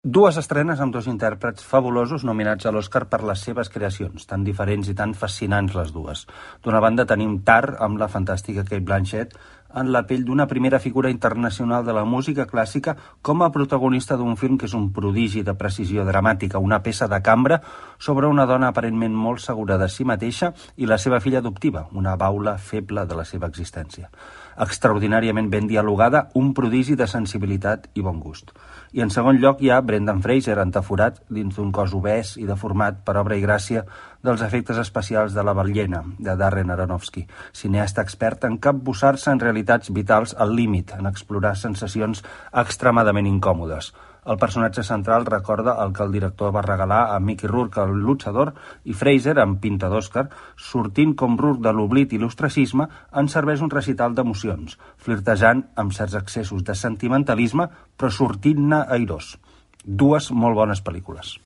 Dues estrenes amb dos intèrprets fabulosos nominats a l'Oscar per les seves creacions, tan diferents i tan fascinants les dues. D'una banda tenim Tar, amb la fantàstica Cate Blanchett, en la pell d'una primera figura internacional de la música clàssica com a protagonista d'un film que és un prodigi de precisió dramàtica, una peça de cambra sobre una dona aparentment molt segura de si mateixa i la seva filla adoptiva, una baula feble de la seva existència. Extraordinàriament ben dialogada, un prodigi de sensibilitat i bon gust. I en segon lloc hi ha Brendan Fraser, entaforat dins d'un cos obès i deformat per obra i gràcia dels efectes especials de La ballena, de Darren Aronofsky, cineasta expert en capbussar-se en realitats vitals al límit, en explorar sensacions extremadament incòmodes. El personatge central recorda el que el director va regalar a Mickey Rourke, el luchador, i Fraser, amb pinta d'Oscar, sortint com Rourke de l'oblit i l'ostracisme, en serveix un recital d'emocions, flirtejant amb certs excessos de sentimentalisme, però sortint-ne airós. Dues molt bones pel·lícules.